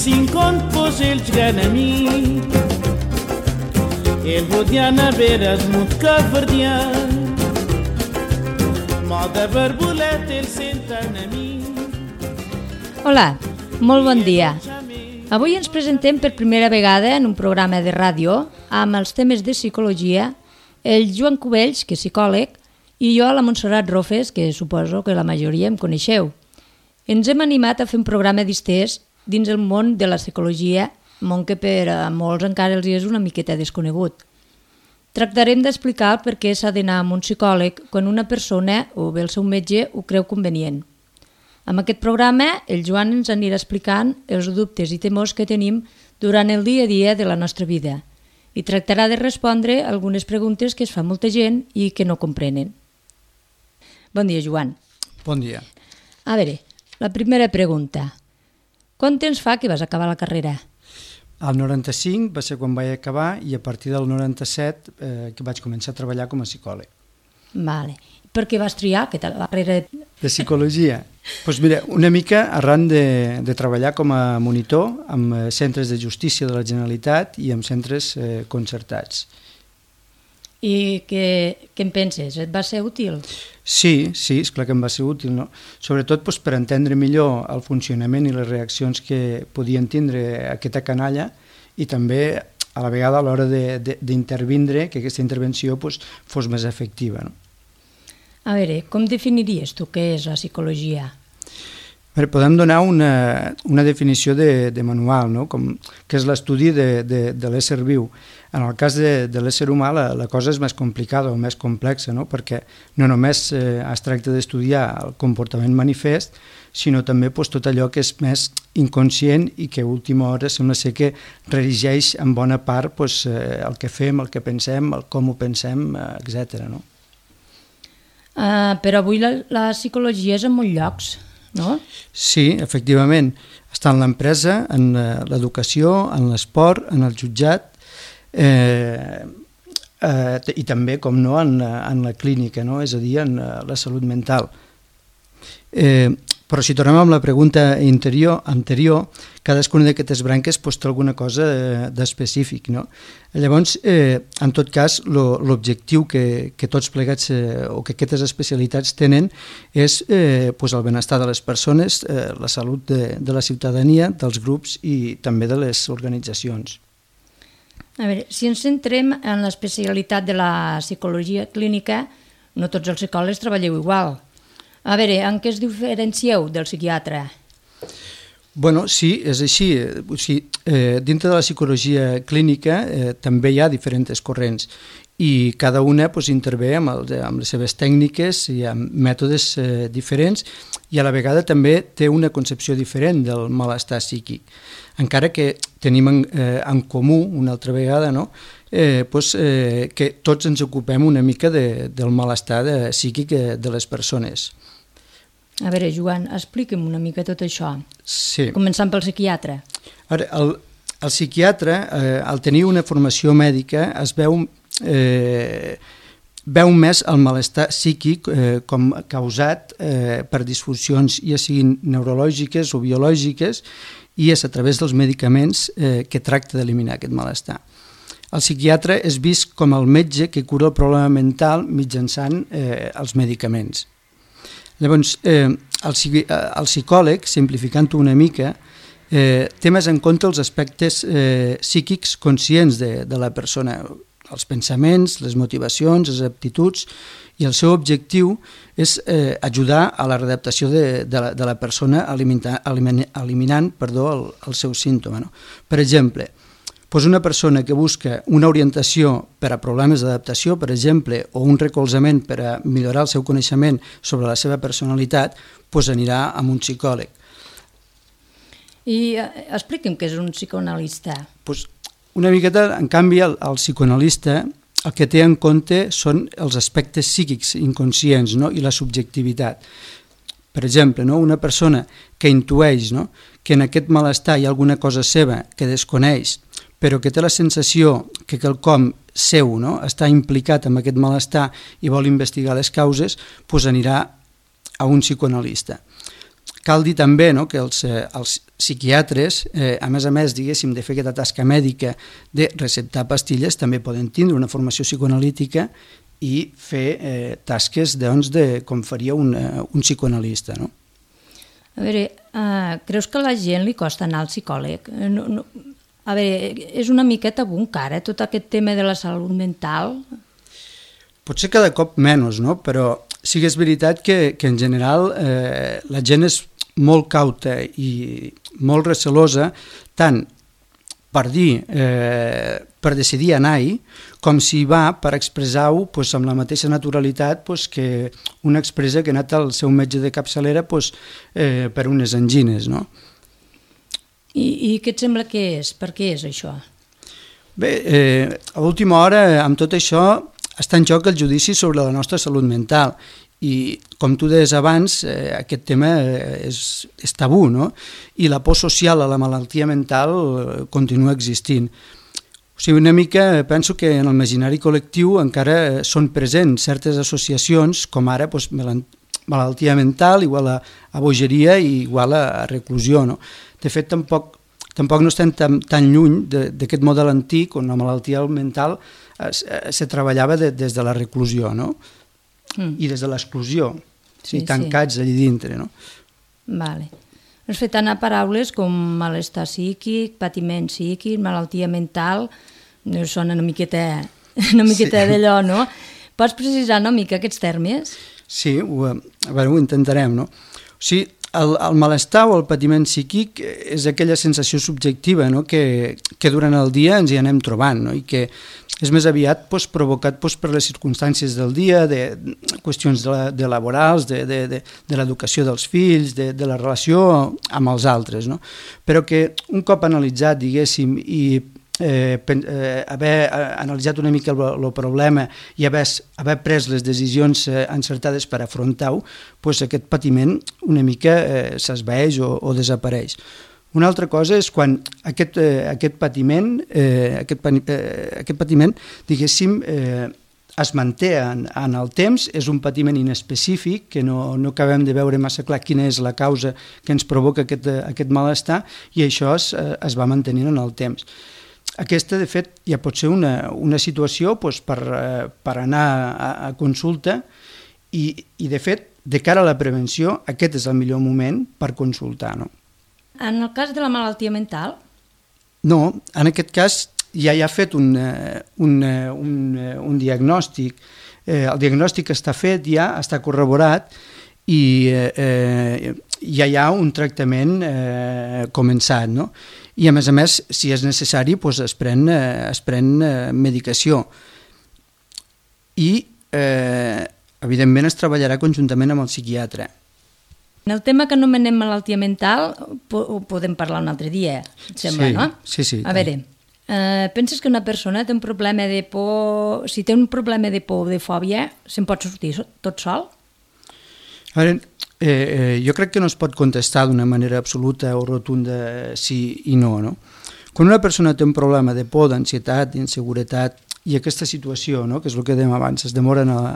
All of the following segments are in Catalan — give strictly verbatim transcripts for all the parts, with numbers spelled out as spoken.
cinquanta posels ganami El Rodiana veres mut caverdià Moda barbolet el senten a mi Hola, molt bon dia. Avui ens presentem per primera vegada en un programa de ràdio amb els temes de psicologia el Joan Cubells, que és psicòleg, i jo, la Montserrat Rofes, que suposo que la majoria em coneixeu. Ens hem animat a fer un programa distès dins el món de la psicologia, món que per a molts encara els és una miqueta desconegut. Tractarem d'explicar per què s'ha d'anar amb un psicòleg quan una persona o bé el seu metge ho creu convenient. Amb aquest programa, el Joan ens anirà explicant els dubtes i temors que tenim durant el dia a dia de la nostra vida i tractarà de respondre algunes preguntes que es fa molta gent i que no comprenen. Bon dia, Joan. Bon dia. A veure, la primera pregunta. Quant temps fa que vas acabar la carrera? El noranta-cinc va ser quan vaig acabar i a partir del noranta-set eh, que vaig començar a treballar com a psicòleg. Vale. Per què vas triar aquesta carrera? De psicologia? Doncs pues mira, una mica arran de, de treballar com a monitor amb centres de justícia de la Generalitat i amb centres eh, concertats. I què, què en penses? Et va ser útil? Sí, sí, esclar que em va ser útil, no? Sobretot doncs, per entendre millor el funcionament i les reaccions que podien tindre aquesta canalla i també a la vegada a l'hora d'intervindre, que aquesta intervenció doncs, fos més efectiva. No? A veure, com definiries tu què és la psicologia? Bé, podem donar una, una definició de, de manual, no? Com, que és l'estudi de, de, de l'ésser viu. En el cas de, de l'ésser humà la, la cosa és més complicada o més complexa, no? Perquè no només eh, es tracta d'estudiar el comportament manifest, sinó també pues, tot allò que és més inconscient i que a última hora sembla ser que redigeix en bona part pues, eh, el que fem, el que pensem, el com ho pensem, eh, etcètera. No? Uh, però avui la, la psicologia és en molts llocs, no? Sí, efectivament. Està en l'empresa, en l'educació, en l'esport, en el jutjat eh, eh, i també, com no, en, en la clínica, no? És a dir, en la salut mental. Eh, però si tornem amb la pregunta interior, anterior, cadascuna d'aquestes branques pues, té alguna cosa d'específic. No? Llavors, eh, en tot cas, l'objectiu que, que tots plegats eh, o que aquestes especialitats tenen és eh, pues, el benestar de les persones, eh, la salut de, de la ciutadania, dels grups i també de les organitzacions. A veure, si ens centrem en l'especialitat de la psicologia clínica, no tots els psicòlegs treballeu igual. A veure, en què es diferencieu del psiquiatre? Bueno, sí, és així. O sigui, eh, dintre de la psicologia clínica eh, també hi ha diferents corrents i cada una pues, intervé amb, el, amb les seves tècniques i amb mètodes eh, diferents i a la vegada també té una concepció diferent del malestar psíquic. Encara que tenim en, eh, en comú, una altra vegada, no? eh, pues, eh, que tots ens ocupem una mica de, del malestar de, psíquic de les persones. A veure, Joan, explica'm una mica tot això. Sí. Començant pel psiquiatre. Ara, el, el psiquiatre, eh, al tenir una formació mèdica, es veu, eh, veu més el malestar psíquic eh, com causat eh, per disfuncions, ja siguin neurològiques o biològiques, i és a través dels medicaments eh, que tracta d'eliminar aquest malestar. El psiquiatre és vist com el metge que cura el problema mental mitjançant eh, els medicaments. Llavors, eh, el, el psicòleg, simplificant-ho una mica, eh, té més en compte els aspectes eh, psíquics conscients de, de la persona, els pensaments, les motivacions, les aptituds, i el seu objectiu és eh, ajudar a la readaptació de, de, la, de la persona eliminant, eliminant perdó, el, el seu símptoma. No? Per exemple, doncs una persona que busca una orientació per a problemes d'adaptació, per exemple, o un recolzament per a millorar el seu coneixement sobre la seva personalitat, doncs anirà amb un psicòleg. I eh, explica'm què és un psicoanalista. Doncs una miqueta, en canvi, el, el psicoanalista el que té en compte són els aspectes psíquics inconscients, no? I la subjectivitat. Per exemple, no? Una persona que intueix, no? Que en aquest malestar hi ha alguna cosa seva que desconeix, però que té la sensació que quelcom seu, no? Està implicat en aquest malestar i vol investigar les causes, doncs anirà a un psicoanalista. Cal dir també, no? Que els, els psiquiatres, eh, a més a més, diguéssim, de fer aquesta tasca mèdica de receptar pastilles, també poden tindre una formació psicoanalítica i fer eh, tasques doncs, de com faria un, un psicoanalista, no? A veure, uh, creus que a la gent li costa anar al psicòleg? No, no, a veure, és una miqueta tabú encara, tot aquest tema de la salut mental? Potser cada cop menys, no? Però sí que és veritat que, que en general eh, la gent és molt cauta i molt recelosa, tant per dir, eh, per decidir anar-hi, com si va per expressar-ho pues, amb la mateixa naturalitat pues, que un expressa que ha anat al seu metge de capçalera pues, eh, per unes angines, no? I, I què et sembla que és? Per què és això? Bé, eh, a última hora, amb tot això, està en joc el judici sobre la nostra salut mental i, com tu deies abans, eh, aquest tema és, és tabú, no? I la por social a la malaltia mental eh, continua existint. O sigui, una mica penso que en el imaginari col·lectiu encara són presents certes associacions, com ara doncs, malaltia mental igual a, a bogeria i igual a, a reclusió, no? De fet, tampoc, tampoc no estem tan, tan lluny d'aquest model antic on la malaltia mental es, se treballava de, des de la reclusió, no? Mm. I des de l'exclusió, sí, tancats sí. allà dintre, no? Vale. Has fet anar paraules com malestar psíquic, patiment psíquic, malaltia mental, sona una miqueta, una miqueta sí. d'allò, no? Pots precisar una mica aquests termes? Sí, ho, a veure, ho intentarem, no? O sigui, el, el malestar o el patiment psíquic és aquella sensació subjectiva, no? que, que durant el dia ens hi anem trobant, no? I que és més aviat doncs, provocat doncs, per les circumstàncies del dia, de qüestions de, de laborals, de, de, de, de l'educació dels fills, de, de la relació amb els altres, no? Però que un cop analitzat, diguéssim, i eh, pen, eh, haver analitzat una mica el, el problema i haver, haver pres les decisions eh, encertades per afrontar-ho, doncs aquest patiment una mica eh, s'esvaeix o, o desapareix. Una altra cosa és quan aquest, eh, aquest patiment, eh, aquest, eh, aquest patiment, diguéssim, eh, es manté en, en el temps, és un patiment inespecífic, que no, no acabem de veure massa clar quina és la causa que ens provoca aquest, aquest malestar, i això es, es va mantenint en el temps. Aquesta, de fet, ja pot ser una, una situació doncs, per, per anar a, a consulta i, i, de fet, de cara a la prevenció, aquest és el millor moment per consultar, no? En el cas de la malaltia mental? No, en aquest cas ja hi ha fet un, un, un, un diagnòstic. Eh, el diagnòstic està fet, ja està corroborat i eh, ja hi ha un tractament eh, començat, no? I a més a més, si és necessari, doncs es pren, eh, es pren eh, medicació. I, eh, evidentment, es treballarà conjuntament amb el psiquiatre. En el tema que anomenem malaltia mental ho podem parlar un altre dia, et sembla, sí, no? Sí, sí. A veure, eh, penses que una persona té un problema de por... Si té un problema de por o de fòbia, se'n pot sortir tot sol? A veure, eh, eh, jo crec que no es pot contestar d'una manera absoluta o rotunda sí i no, no? Quan una persona té un problema de por, d'ansietat, d'inseguretat, i aquesta situació, no, que és el que dèiem abans, es demora en el,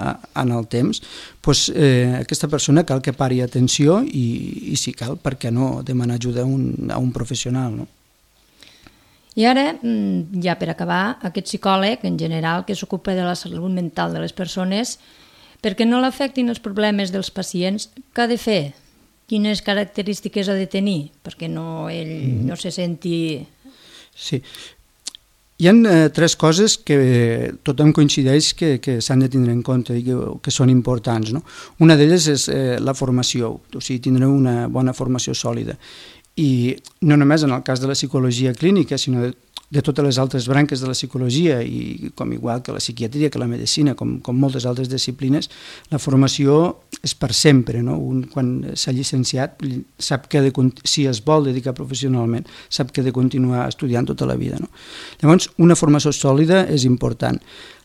en el temps, doncs, eh, aquesta persona cal que pari atenció i, i si cal, per què no, demanar ajuda a un, a un professional, no? I ara, ja per acabar, aquest psicòleg, en general, que s'ocupa de la salut mental de les persones, perquè no l'afectin els problemes dels pacients, què ha de fer? Quines característiques ha de tenir? Perquè no, ell mm. no se senti... Sí. Hi ha eh, tres coses que tothom coincideix que, que s'han de tindre en compte i que, que són importants, no? Una d'elles és eh, la formació, o sigui, tindre una bona formació sòlida. I no només en el cas de la psicologia clínica, sinó de, de totes les altres branques de la psicologia, i com igual que la psiquiatria, que la medicina, com, com moltes altres disciplines, la formació és per sempre, no? Un, quan s'ha llicenciat, sap que de, si es vol dedicar professionalment, sap que ha de continuar estudiant tota la vida, no? Llavors, una formació sòlida és important.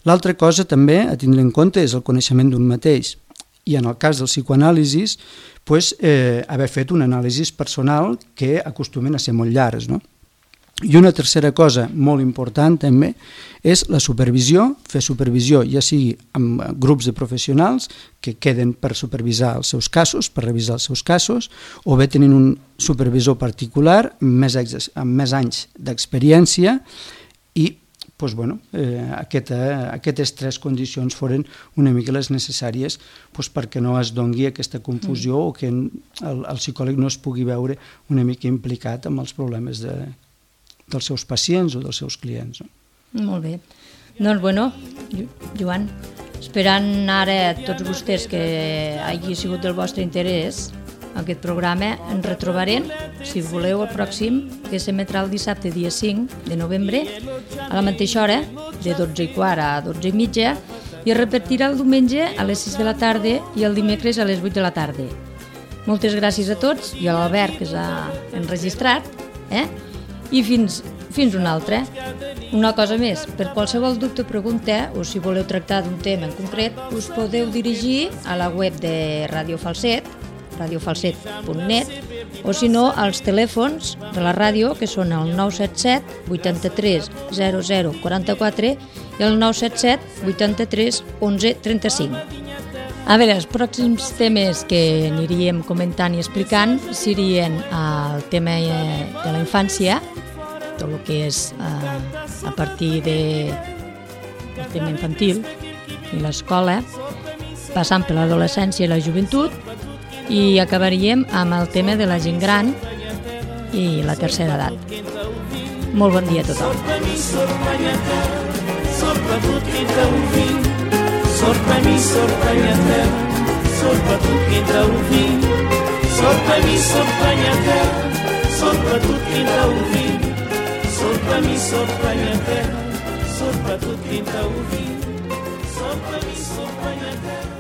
L'altra cosa també a tindre en compte és el coneixement d'un mateix. I en el cas del psicoanàlisis, pues, eh, haver fet un anàlisi personal que acostumen a ser molt llargs, no? I una tercera cosa molt important també és la supervisió, fer supervisió ja sigui amb grups de professionals que queden per supervisar els seus casos, per revisar els seus casos, o bé tenint un supervisor particular amb més, amb més anys d'experiència i doncs, bueno, eh, aquesta, aquestes tres condicions foren una mica les necessàries doncs, perquè no es dongui aquesta confusió mm. o que el, el psicòleg no es pugui veure una mica implicat amb els problemes de dels seus pacients o dels seus clients. No? Molt bé. Doncs, bueno, Joan, esperant ara tots vostès que hagi sigut del vostre interès aquest programa, ens retrobarem, si voleu, el pròxim, que s'emetrà el dissabte, dia cinc de novembre, a la mateixa hora, de dotze i quart a dotze i mitja, i es repetirà el diumenge a les sis de la tarda i el dimecres a les vuit de la tarda. Moltes gràcies a tots i a l'Albert, que s'ha enregistrat, eh? I fins, fins una altra. Una cosa més, per qualsevol dubte o pregunta, o si voleu tractar d'un tema en concret, us podeu dirigir a la web de Radio Falset, radio falset punt net, o si no, als telèfons de la ràdio, que són el nou set set, vuitanta-tres, zero zero, quaranta-quatre i el nou set set, vuitanta-tres, onze, trenta-cinc. A veure, els pròxims temes que aniríem comentant i explicant serien el tema de la infància, tot el que és eh, a partir de, del tema infantil i l'escola, passant per l'adolescència i la joventut, i acabaríem amb el tema de la gent gran i la tercera edat. Molt bon dia a tothom. Sorpa-mi, sorpanya-terra, sorpa tot qui entra un fill. Sorpa-mi, sorpanya-terra, sorpa tot qui entra un fill. Sorpa-mi, sorpanya-terra, sorpa tot qui entra un fill. Sorpa-mi, sorpanya-terra, sorpa tot qui entra un fill. Sorpa-mi, sorpanya-terra.